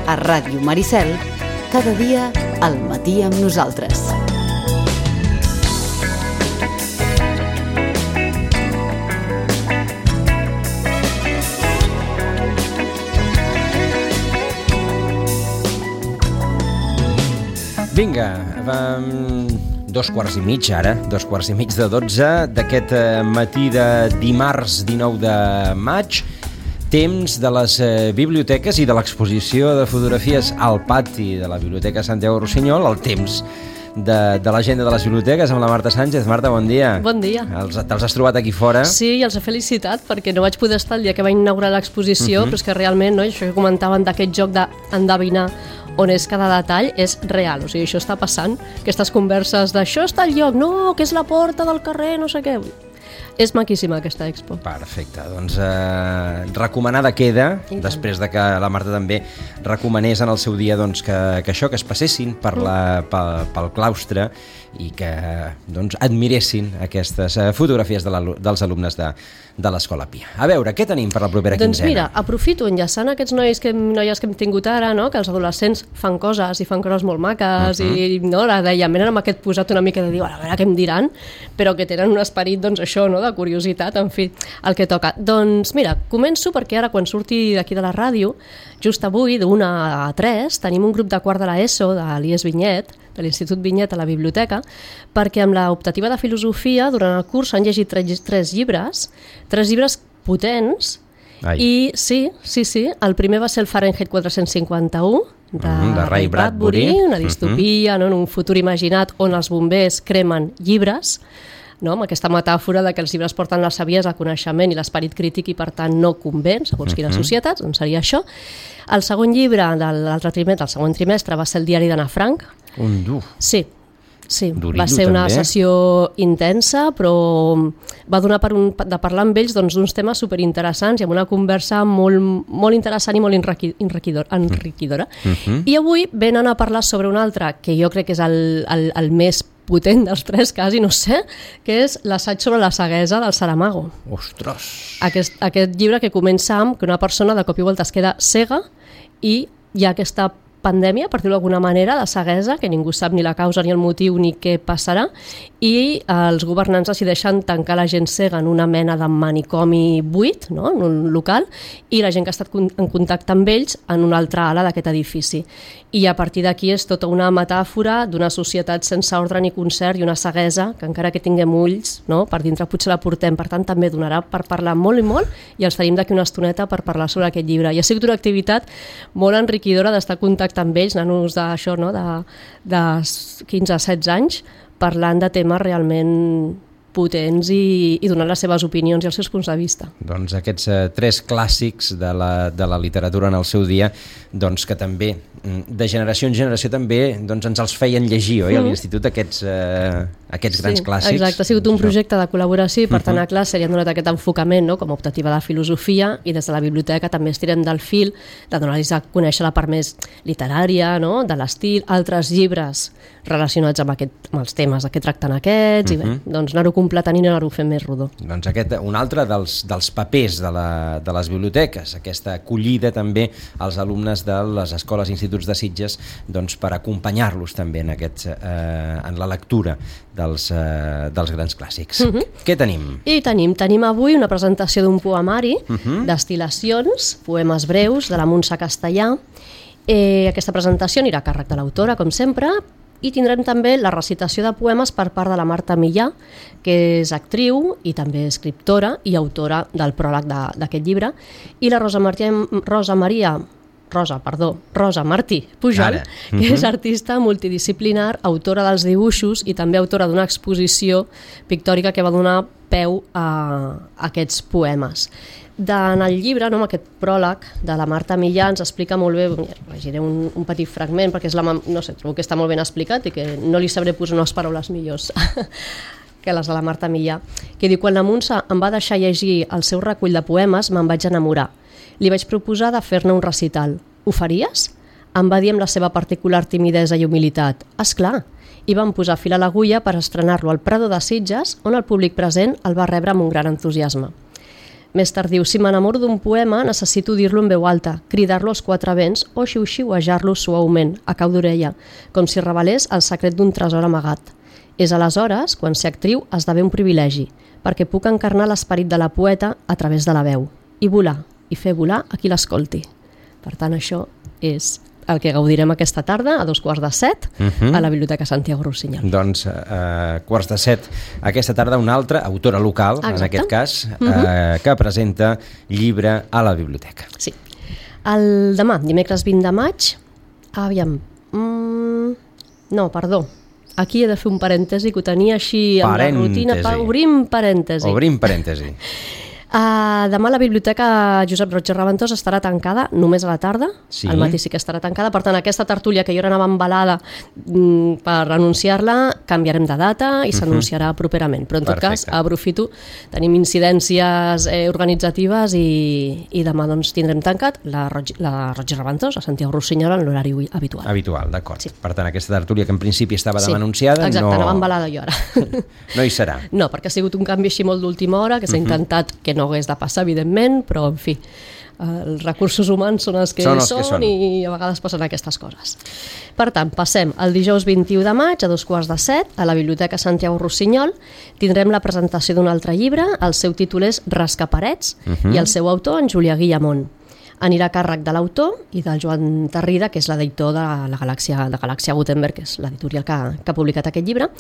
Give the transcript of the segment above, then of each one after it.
a Ràdio Maricel, cada dia al matí amb nosaltres. Vinga, 2:15 ara, 2:15 d'aquest matí de dimarts 19 de maig, temps de les biblioteques i de l'exposició de fotografies al pati de la Biblioteca Santiago Rossinyol, el temps de l'agenda de les biblioteques amb la Marta Sánchez. Marta, bon dia. Bon dia. Te'ls has trobat aquí fora? Sí, i els he felicitat perquè no vaig poder estar el dia que va inaugurar l'exposició, però és que realment, no, això que comentaven d'aquest joc d'endevinar on és cada detall és real, o sigui, això està passant, aquestes converses d'això està al lloc, no, que és la porta del carrer, no sé què. És maquíssima aquesta expo. Perfecte, doncs recomanada queda, després de que la Marta també recomanés en el seu dia doncs, que això, que es passessin pel claustre i que doncs, admiressin aquestes fotografies dels alumnes de l'Escola Pia. A veure, què tenim per la propera quinzena? Doncs mira, aprofito enllaçant aquests noies que hem tingut ara, no? Que els adolescents fan coses i fan coses molt maques i no, la dèiem, venen amb aquest posat una mica de dir, a veure què em diran, però que tenen un esperit, doncs això, no? De curiositat, en fi, el que toca. Doncs mira, començo perquè ara quan surti d'aquí de la ràdio, just avui, d'1 a 3, tenim un grup de quart de l'ESO de l'IES Vinyet, de l'Institut Vinyet a la biblioteca, perquè amb l'optativa de filosofia durant el curs s'han llegit tres llibres potents. Ai. I sí, el primer va ser el Fahrenheit 451 de Ray Bradbury, una distopia, no, en un futur imaginat on els bombers cremen llibres, no? Amb aquesta metàfora de que els llibres porten la saviesa, el coneixement i l'esperit crític i per tant no conven, segons quines societats, doncs seria això. El segon llibre del segon trimestre va ser el diari d'Anna Frank. Un dur. Sí, Durillo, va ser una també. sessió intensa, però va donar de parlar amb ells d'uns temes superinteressants i amb una conversa molt interessant i molt enriquidora. I avui venen a parlar sobre un altre, que jo crec que és el més potent dels tres, quasi, no sé, que és l'assaig sobre la ceguesa del Saramago. Ostres! Aquest llibre que comença amb que una persona de cop i volta es queda cega i hi ha aquesta pandèmia, per dir-ho d'alguna manera, de ceguesa, que ningú sap ni la causa ni el motiu ni què passarà, i els governants decideixen tancar la gent cega en una mena de manicomi buit, no? En un local, i la gent que ha estat en contacte amb ells en una altra ala d'aquest edifici. I a partir d'aquí és tota una metàfora d'una societat sense ordre ni concert i una ceguesa que encara que tinguem ulls, no? Per dintre potser la portem, per tant també donarà per parlar molt i molt, i els tenim d'aquí una estoneta per parlar sobre aquest llibre. I ha sigut una activitat molt enriquidora d'estar en contacte amb ells, nanos d'això, no? de 15 a 16 anys, parlant de temes realment potents i donant les seves opinions i els seus punts de vista. Doncs aquests tres clàssics de la literatura en el seu dia, doncs que també, de generació en generació també, doncs ens els feien llegir, oi? A l'institut aquests grans clàssics. Exacte, ha sigut un projecte de col·laboració i per tant a classe li han donat aquest enfocament, no? Com a optativa de filosofia, i des de la biblioteca també estirem del fil de donar-los a conèixer la part més literària, no? De l'estil, altres llibres relacionats amb els temes que tracten aquests, i bé, doncs anar-ho completant i anar-ho fent més rodó. Doncs un altre dels papers de les biblioteques, aquesta acollida també als alumnes de les escoles i instituts de Sitges, doncs per acompanyar-los també en la lectura dels grans clàssics. Què tenim? I tenim avui una presentació d'un poemari, destil·lacions, poemes breus, de la Montse Castellà. Aquesta presentació anirà a càrrec de l'autora, com sempre, i tindrem també la recitació de poemes per part de la Marta Millà, que és actriu i també escriptora i autora del pròleg d'aquest llibre, i la Rosa Martí Pujol, que és artista multidisciplinar, autora dels dibuixos i també autora d'una exposició pictòrica que va donar peu a aquests poemes. En el llibre, amb aquest pròleg de la Marta Millà, ens explica molt bé, llegiré un petit fragment perquè trobo que està molt ben explicat i que no li sabré posar unes paraules millors que les de la Marta Millà, que diu: quan la Montse em va deixar llegir el seu recull de poemes me'n vaig enamorar. Li vaig proposar de fer-ne un recital. Ho faries? Em va dir amb la seva particular timidesa i humilitat. Esclar, i van posar fil a l'agulla per estrenar-lo al Prado de Sitges, on el públic present el va rebre amb un gran entusiasme. Més tard diu, si m'enamoro d'un poema necessito dir-lo en veu alta, cridar-lo als quatre vents o xiu-xiuejar-lo suaument, a cau d'orella, com si revelés el secret d'un tresor amagat. És aleshores, quan ser actriu, esdevé un privilegi, perquè puc encarnar l'esperit de la poeta a través de la veu, i volar, i fer volar a qui l'escolti. Per tant, això és el que gaudirem aquesta tarda a 6:45 a la Biblioteca Santiago Rossinyol. Doncs 6:45 aquesta tarda una altra autora local, en aquest cas, que presenta llibre a la biblioteca. Sí. El demà, dimecres 20 de maig, aviam... no, perdó. Aquí he de fer un parèntesi, que ho tenia així amb la rutina. Obrim parèntesi. Obrim parèntesi. Demà la Biblioteca Josep Roig i Raventós estarà tancada només a la tarda, sí. Al matí sí que estarà tancada, per tant aquesta tertúlia que jo ara anava embalada per anunciar-la, canviarem de data i s'anunciarà properament, però en tot cas aprofito, tenim incidències organitzatives i demà doncs tindrem tancat la Roig i Raventós a Santiago Rossinyol en l'horari habitual. Habitual, d'acord. Sí. Per tant, aquesta tertúlia que en principi estava demà anunciada, exacte, anava embalada jo ara. No hi serà. No, perquè ha sigut un canvi així molt d'última hora, que s'ha intentat que no hagués de passar, evidentment, però, en fi, els recursos humans són els que són i a vegades passen aquestes coses. Per tant, passem al dijous 21 de maig a 6:45 a la Biblioteca Santiago Rossinyol. Tindrem la presentació d'un altre llibre, el seu títol és Rascaparets, i el seu autor, en Julià Guillamont. Anirà a càrrec de l'autor i del Joan Tarrida, que és l'editor de la Galàxia Gutenberg, que és l'editorial que ha publicat aquest llibre.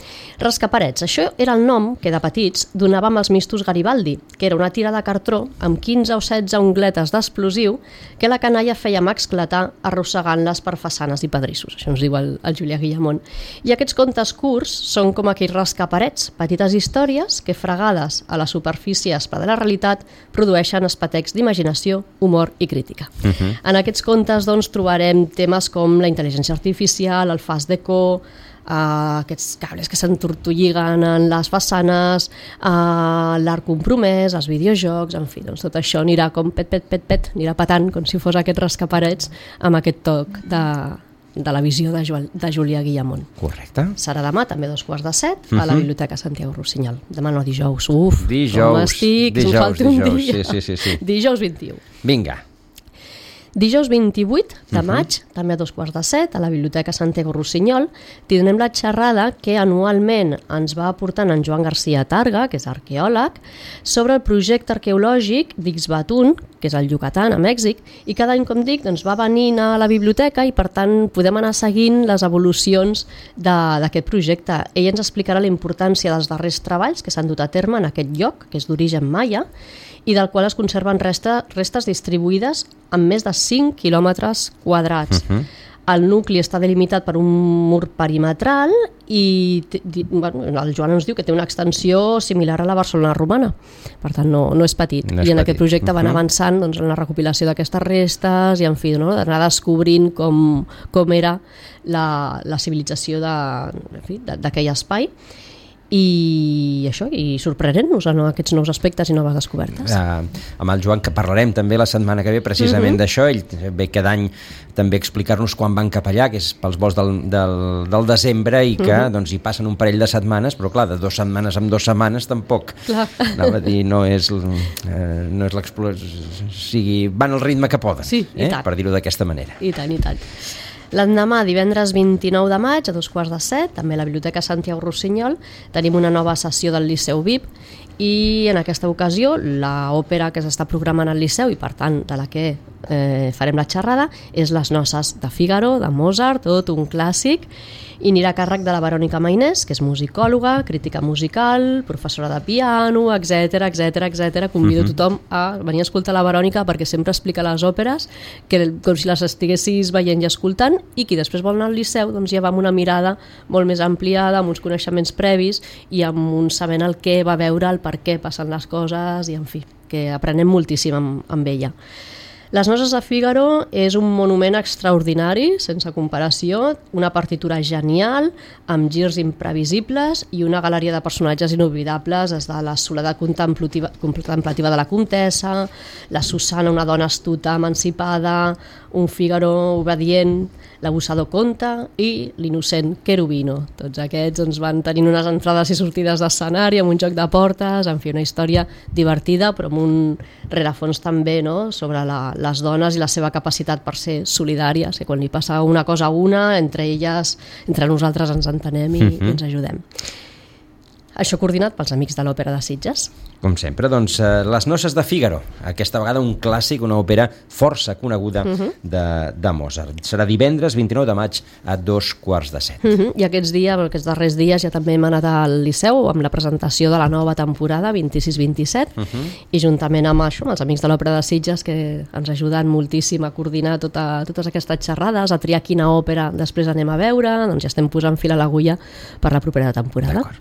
Rascaparets, això era el nom que de petits donàvem als mistos Garibaldi, que era una tira de cartró amb 15 o 16 ungletes d'explosiu que la canalla fèiem esclatar arrossegant-les per façanes i pedrissos. Això ens diu el Julià Guillamont. I aquests contes curts són com aquells rascaparets, petites històries que, fregades a la superfície aspra de la realitat, produeixen espetecs d'imaginació, humor i crítica. En aquests contes doncs, trobarem temes com la intel·ligència artificial, el fast deco, aquests cables que s'entortolliguen en les façanes, l'art compromès, els videojocs, en fi, doncs tot això anirà com pet, anirà patant com si fos aquests rascaparets amb aquest toc de la visió de Julià Guillamont. Correcte. Serà demà, també 6:45, a la Biblioteca Santiago Rossinyol. Demà no, dijous. Dijous, com estic, em falta un dia. Sí. Dijous 21. Vinga. Dijous 28 de maig, també a 6:45, a la Biblioteca Santiago Rossinyol, tindrem la xerrada que anualment ens va aportant en Joan García Targa, que és arqueòleg, sobre el projecte arqueològic d'Ixbatún, que és al Yucatán, a Mèxic, i cada any, com dic, doncs, va venint a la biblioteca i, per tant, podem anar seguint les evolucions d'aquest projecte. Ell ens explicarà la importància dels darrers treballs que s'han dut a terme en aquest lloc, que és d'origen maia, i del qual es conserven restes distribuïdes en més de 5 quilòmetres quadrats. El nucli està delimitat per un mur perimetral i el Joan ens diu que té una extensió similar a la Barcelona romana. Per tant, no és petit. I en aquest projecte van avançant doncs, en la recopilació d'aquestes restes i, en fi, d'anar descobrint com era la civilització d'aquell espai. I això, i sorprenent-nos en aquests nous aspectes i noves descobertes. Amb el Joan, que parlarem també la setmana que ve precisament d'això, ell ve cada any també explicar-nos quan van cap allà, que és pels vols del desembre i que doncs, hi passen un parell de setmanes, però clar, de 2 setmanes en 2 setmanes tampoc. Anava a dir, no és l'exploració, o sigui, van al ritme que poden, per dir-ho d'aquesta manera. I tant. L'endemà, divendres 29 de maig, a 6:45, també a la Biblioteca Santiago Rossinyol, tenim una nova sessió del Liceu VIP i en aquesta ocasió l'òpera que s'està programant al Liceu i per tant de la que farem la xerrada és Les noces de Fígaro, de Mozart, tot un clàssic, i anirà a càrrec de la Verònica Mainés, que és musicòloga, crítica musical, professora de piano, etc. Convido tothom a venir a escoltar la Verònica perquè sempre explica les òperes com si les estiguessis veient i escoltant, i qui després vol anar al Liceu doncs ja va amb una mirada molt més ampliada, amb uns coneixements previs i amb un sabent el què va veure, el per què passen les coses i, en fi, que aprenem moltíssim amb ella. Les Noces de Fígaro és un monument extraordinari, sense comparació, una partitura genial, amb girs imprevisibles i una galeria de personatges inoblidables, des de la soledat contemplativa de la comtessa, la Susana, una dona astuta, emancipada, un Fígaro obedient, l'abusador Conte i l'innocent Cherubino. Tots aquests doncs, van tenint unes entrades i sortides d'escenari, amb un joc de portes, en fi, una història divertida, però amb un rerefons també, no?, sobre les dones i la seva capacitat per ser solidàries, que quan li passa una cosa a una, entre elles, entre nosaltres ens entenem i ens ajudem. Això coordinat pels Amics de l'Òpera de Sitges. Com sempre, doncs, Les Noces de Fígaro, aquesta vegada un clàssic, una òpera força coneguda de Mozart. Serà divendres 29 de maig a 7:15. I aquests darrers dies ja també hem anat al Liceu amb la presentació de la nova temporada 26-27 i juntament amb això, amb els Amics de l'Òpera de Sitges, que ens ajuden moltíssim a coordinar totes aquestes xerrades, a triar quina òpera després anem a veure, doncs ja estem posant fil a l'agulla per la propera temporada. D'acord.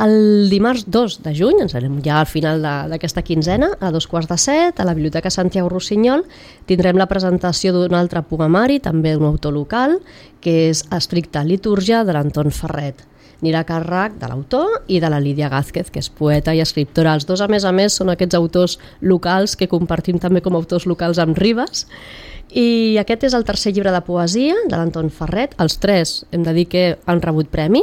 El dimarts 2 de juny, ens anem ja al final d'aquesta quinzena, a 6:15, a la Biblioteca Santiago Rossinyol, tindrem la presentació d'un altre poemari, també d'un autor local, que és Estricta litúrgia, de l'Anton Ferret. Anirà a càrrec de l'autor i de la Lídia Gázquez, que és poeta i escriptora. Els dos, a més, són aquests autors locals que compartim també com a autors locals amb Ribes. I aquest és el tercer llibre de poesia de l'Anton Ferret. Els tres hem de dir que han rebut premi.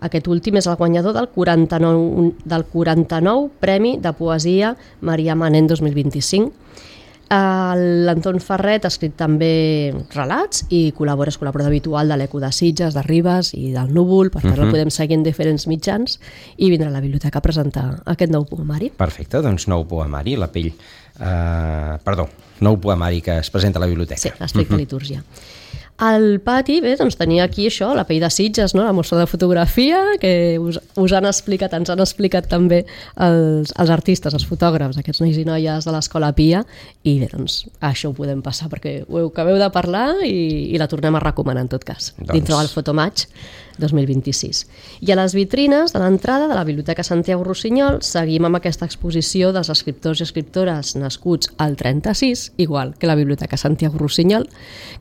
Aquest últim és el guanyador del 49 Premi de Poesia Maria Manent 2025. L'Anton Ferret ha escrit també relats i és col·laborador habitual de l'Eco de Sitges, de Ribes i del Núvol, per tant el podem seguir en diferents mitjans i vindrà a la biblioteca a presentar aquest nou poemari. Perfecte, doncs nou poemari, nou poemari que es presenta a la biblioteca. Sí, l'Estricta litúrgia. Al pati, bé, doncs tenia aquí això, la Pell de Sitges, no? La mostra de fotografia, que us han explicat, ens han explicat també els artistes, els fotògrafs, aquests nois i noies de l'Escola Pia, i bé, doncs això ho podem passar perquè ho acabeu de parlar i la tornem a recomanar en tot cas, dintre del Fotomatch 2026. I a les vitrines de l'entrada de la Biblioteca Santiago Rossinyol seguim amb aquesta exposició dels escriptors i escriptores nascuts al 36, igual que la Biblioteca Santiago Rossinyol,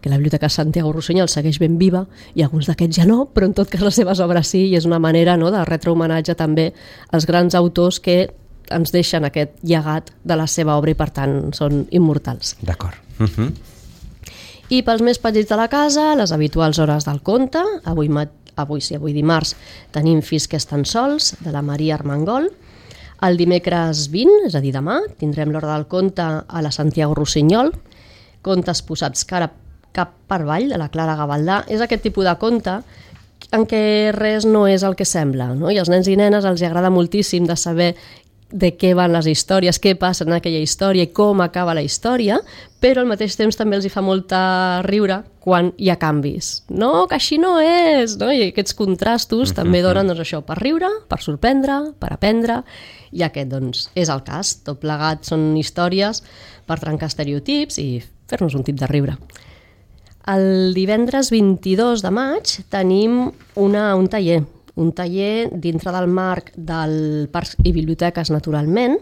que la Biblioteca Santiago Rossinyol segueix ben viva i alguns d'aquests ja no, però en tot cas les seves obres sí, i és una manera, no, de retre homenatge també als grans autors que ens deixen aquest llegat de la seva obra i per tant són immortals. D'acord. I pels més petits de la casa, les habituals hores del conte. Avui dimarts tenim Fills que estan sols, de la Maria Armengol. El dimecres 20, és a dir demà, tindrem l'hora del conte a la Santiago Rossinyol, Contes posats cap per avall, de la Clara Gavaldà. És aquest tipus de conte en què res no és el que sembla, no? I als nens i nenes els agrada moltíssim de saber de què van les històries, què passa en aquella història i com acaba la història, però al mateix temps també els hi fa molta riure quan hi ha canvis. No, que així no és! No? I aquests contrastos també donen doncs, això, per riure, per sorprendre, per aprendre, i aquest doncs, és el cas. Tot plegat són històries per trencar estereotips i fer-nos un tip de riure. El divendres 22 de maig tenim un taller dintre del marc del Parcs i Biblioteques Naturalment.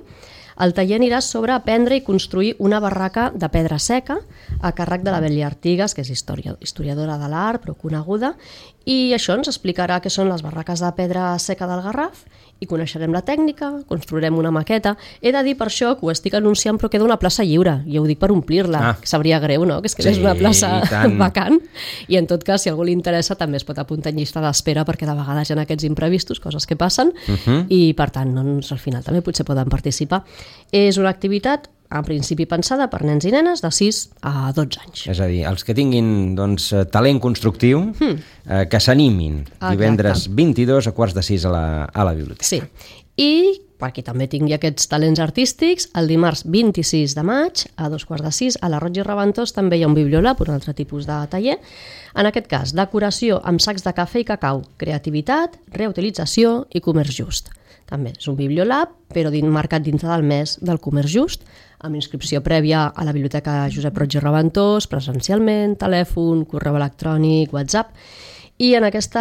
El taller anirà sobre aprendre i construir una barraca de pedra seca a càrrec de la Bèlia Artigas, que és historiadora de l'art, però coneguda, i això ens explicarà què són les barraques de pedra seca del Garraf i coneixerem la tècnica, construirem una maqueta. He de dir per això que ho estic anunciant, però queda una plaça lliure, i ho dic per omplir-la, que sabria greu, no?, que és quedés una plaça vacant, i en tot cas, si a algú li interessa, també es pot apuntar en llista d'espera, perquè de vegades hi ha aquests imprevistos, coses que passen, i per tant, doncs, al final també potser poden participar. És una activitat en principi pensada per nens i nenes de 6 a 12 anys. És a dir, els que tinguin doncs, talent constructiu, que s'animin divendres 22 a 5:15 a la biblioteca. Sí, i per qui també tingui aquests talents artístics, el dimarts 26 de maig a 5:15 a la Roig i Reventós també hi ha un bibliolab, un altre tipus de taller. En aquest cas, decoració amb sacs de cafè i cacau, creativitat, reutilització i comerç just. També és un bibliolab, però marcat dintre del mes del comerç just, amb inscripció prèvia a la Biblioteca Josep Roig i Reventós, presencialment, telèfon, correu electrònic, WhatsApp. I en aquest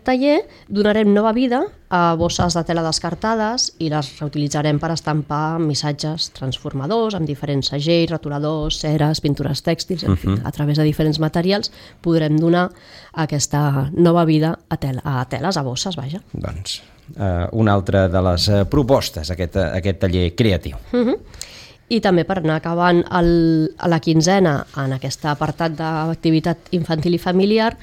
taller donarem nova vida a bosses de tela descartades i les reutilitzarem per estampar missatges transformadors amb diferents segells, rotuladors, ceres, pintures tèxtils, en fi, a través de diferents materials podrem donar aquesta nova vida a teles, a bosses, vaja. Doncs una altra de les propostes, aquest taller creatiu. I també per anar acabant a la quinzena en aquest apartat d'activitat infantil i familiar,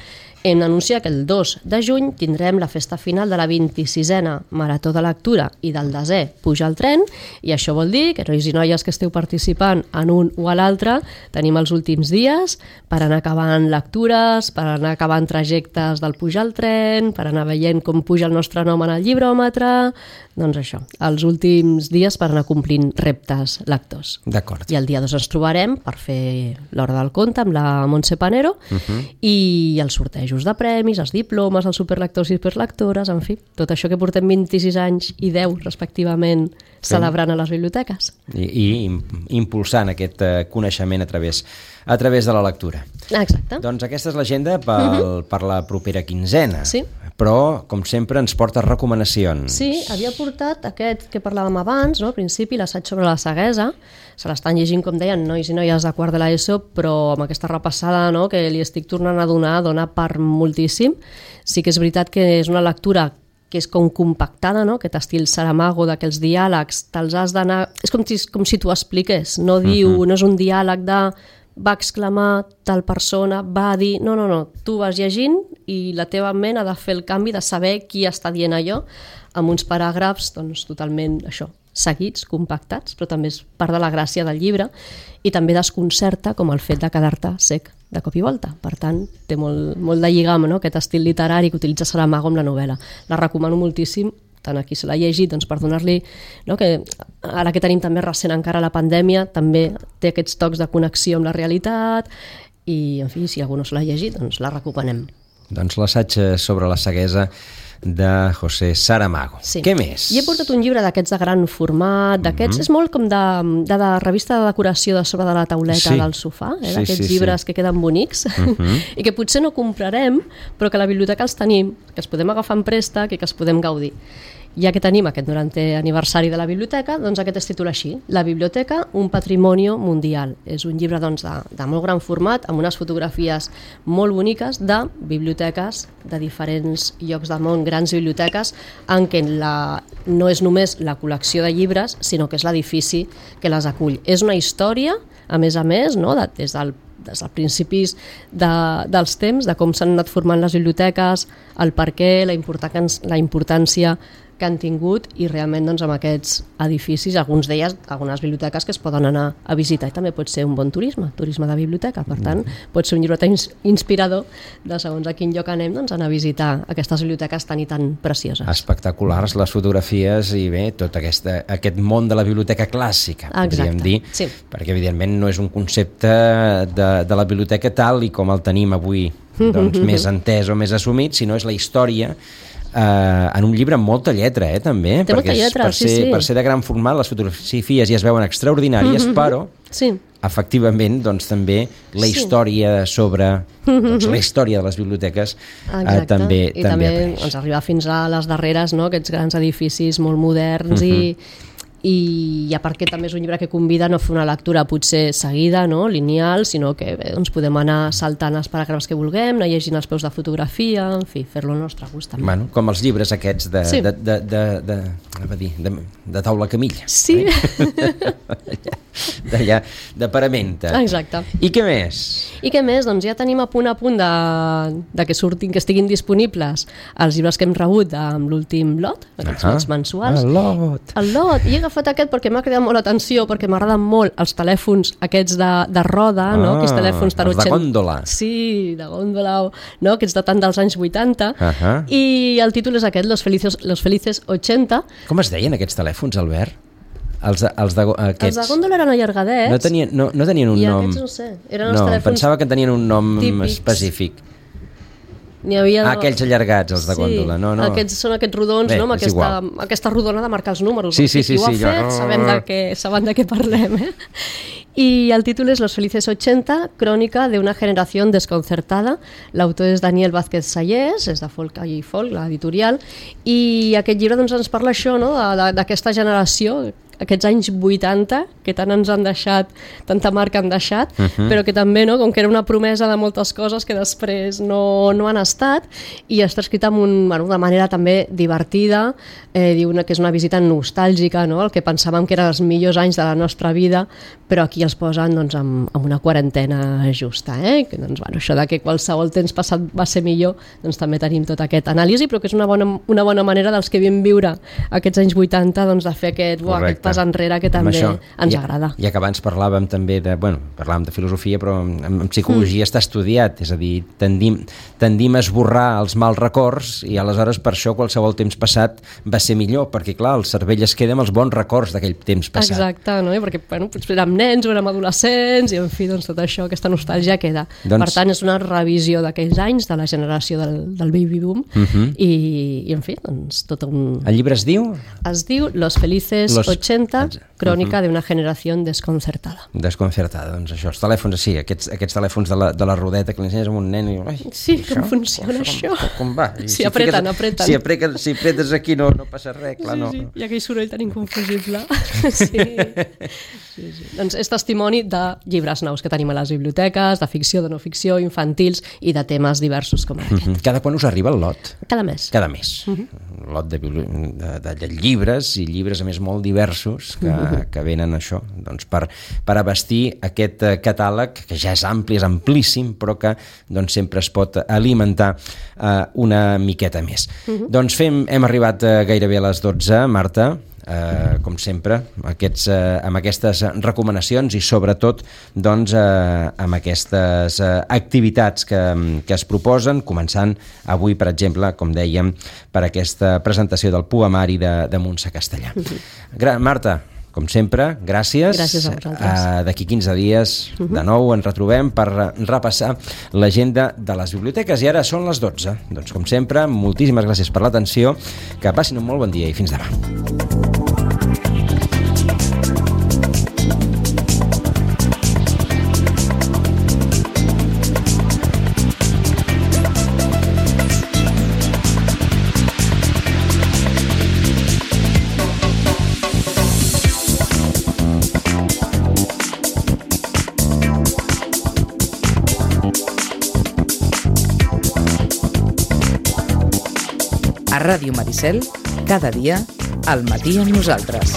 hem d'anunciar que el 2 de juny tindrem la festa final de la 26a Marató de Lectura i del desè Puja al tren, i això vol dir que nois i noies que esteu participant en un o a l'altre tenim els últims dies per anar acabant lectures, per anar acabant trajectes del Puja al tren, per anar veient com puja el nostre nom en el llibròmetre, doncs això, els últims dies per anar complint reptes lectors. D'acord. I el dia 2 ens trobarem per fer l'hora del conte amb la Montse Panero i els sortejos de premis, els diplomes, els superlectors i superlectores, en fi, tot això que portem 26 anys i 10 respectivament celebrant a les biblioteques. I impulsant aquest coneixement a través de la lectura. Exacte. Doncs aquesta és l'agenda per la propera quinzena. Sí. Però, com sempre, ens porta recomanacions. Sí, havia portat aquest que parlàvem abans, no? Al principi, l'assaig sobre la ceguesa. Se l'estan llegint, com deien, nois i noies de quart de l'ESO, però amb aquesta repassada, no?, que li estic tornant a donar, dona per moltíssim. Sí que és veritat que és una lectura que és com compactada, no?, aquest estil Saramago, d'aquells diàlegs, te'ls has d'anar... És com si t'ho expliqués, no diu, no és un diàleg de va exclamar tal persona, va dir... No, tu vas llegint i la teva ment ha de fer el canvi de saber qui està dient allò amb uns paràgrafs, doncs, totalment, això, seguits, compactats, però també és part de la gràcia del llibre i també desconcerta com el fet de quedar-te sec de cop i volta. Per tant, té molt de lligam, no?, aquest estil literari que utilitza Saramago amb la novel·la. La recomano moltíssim, tant a qui se l'ha llegit, doncs per donar-li, no?, que ara que tenim també recent encara la pandèmia, també té aquests tocs de connexió amb la realitat i, en fi, si algú no se l'ha llegit, doncs la recomanem. Doncs l'assaig sobre la ceguesa de José Saramago. Sí. Què més? I he portat un llibre d'aquests de gran format, d'aquests, és molt com de revista de decoració de sobre de la tauleta del sofà, d'aquests llibres que queden bonics i que potser no comprarem, però que a la biblioteca els tenim, que els podem agafar en préstec i que els podem gaudir. Ja que tenim aquest 90è aniversari de la biblioteca, doncs aquest es titula així, La biblioteca, un patrimonio mundial. És un llibre doncs, de molt gran format, amb unes fotografies molt boniques de biblioteques de diferents llocs del món, grans biblioteques, en què no és només la col·lecció de llibres, sinó que és l'edifici que les acull. És una història, a més, no?, des dels principis dels temps, de com s'han anat formant les biblioteques, el perquè, la importància que han tingut i realment doncs, amb aquests edificis, algunes biblioteques que es poden anar a visitar i també pot ser un bon turisme de biblioteca, per tant pot ser un llibre tan inspirador de segons a quin lloc anem, doncs anar a visitar aquestes biblioteques tan i tan precioses. Espectaculars les fotografies i bé, tot aquest món de la biblioteca clàssica, podríem dir, sí. Perquè evidentment no és un concepte de la biblioteca tal i com el tenim avui doncs, més entès o més assumit, sinó és la història en un llibre amb molta lletra, també, té perquè lletra, per ser de gran format les fotografies ja es veuen extraordinàries, però efectivament doncs, també la història sobre la història de les biblioteques també apareix. Ens arriba fins a les darreres, no?, aquests grans edificis molt moderns i a part que també és un llibre que convida a no fer una lectura potser seguida, no?, lineal, sinó que doncs podem anar saltant els paràgrafs que vulguem, anar llegint els peus de fotografia, en fi, fer-lo al nostre gust també. Bueno, com els llibres aquests de taula camilla. Sí. D'allà, de paramenta. Exacte. I què més? Doncs ja tenim a punt de que surtin, que estiguin disponibles els llibres que hem rebut amb l'últim lot, aquests lots mensuals. El lot. I he agafat aquest perquè m'ha cridat molt l'atenció, perquè m'agraden molt els telèfons aquests de roda, no? Aquests telèfons els de gòndola. Sí, de gòndola, no? Aquests de tant dels anys 80. I el títol és aquest, Los Felices 80. Com es deien aquests telèfons, Albert? Els de gòndola eren allargadets. No tenien un nom. I aquests no sé. Eren els telèfons pensava que tenien un nom típics. Específic. Havia aquells allargats, els de gòndola. No. Aquests són aquests rodons, bé, no? Amb aquesta rodona de marcar els números. Sí, qui ho ha fet, saben de què parlem. Y el títol és Los felices 80, crònica d'una generació desconcertada. L'autor és Daniel Vázquez Sayés, és de Folk i Folk, l'editorial, i aquest llibre doncs, ens parla això, no? D'aquesta generació, aquests anys 80, que tant ens han deixat, tanta marca han deixat, però que també, no, com que era una promesa de moltes coses que després no han estat, i està escrita de manera també divertida, diu que és una visita nostàlgica, no? El que pensàvem que eren els millors anys de la nostra vida, però aquí els posen doncs, amb una quarantena justa. Que, doncs, bueno, això de que qualsevol temps passat va ser millor, doncs també tenim tot aquest anàlisi, però que és una bona manera dels que vam viure aquests anys 80 doncs, de fer aquest pas enrere que també ens agrada. Ja que abans parlàvem també parlàvem de filosofia, però en psicologia està estudiat, és a dir, tendim a esborrar els mals records i aleshores per això qualsevol temps passat va ser millor, perquè clar, el cervell es queda amb els bons records d'aquell temps passat. Exacte, no? Perquè potser érem nens o érem adolescents i en fi, doncs tot això, aquesta nostàlgia queda. Per tant, és una revisió d'aquells anys, de la generació del baby boom i en fi, doncs tot un... El llibre es diu? Es diu Los felices 80, crònica d'una generació desconcertada. Desconcertada, doncs això, els telèfons, sí, aquests telèfons de la rodeta que li ensenyes a un nen i diu, sí, com funciona això? Com va? Si apreten. Si apretes aquí no passa res, clar, no. Sí, i aquell soroll tan inconfusible. Sí. Doncs és testimoni de llibres nous que tenim a les biblioteques, de ficció, de no ficció, infantils i de temes diversos com aquest. Cada quan us arriba el lot? Cada mes. Cada mes. Lot de llibres, i llibres a més molt diversos que venen això, doncs per abastir aquest catàleg que ja és ampli, és amplíssim, però que doncs, sempre es pot alimentar una miqueta més. Doncs hem arribat gairebé a les 12, Marta. Com sempre, amb aquestes recomanacions i sobretot doncs, amb aquestes activitats que es proposen, començant avui, per exemple, com dèiem, per aquesta presentació del poemari de Montse Castellà. Marta, com sempre, gràcies. Gràcies a vosaltres. D'aquí 15 dies, de nou, ens retrobem per repassar l'agenda de les biblioteques. I ara són les 12. Doncs, com sempre, moltíssimes gràcies per l'atenció, que passin un molt bon dia i fins demà. A Ràdio Maricel, cada dia, al matí amb nosaltres.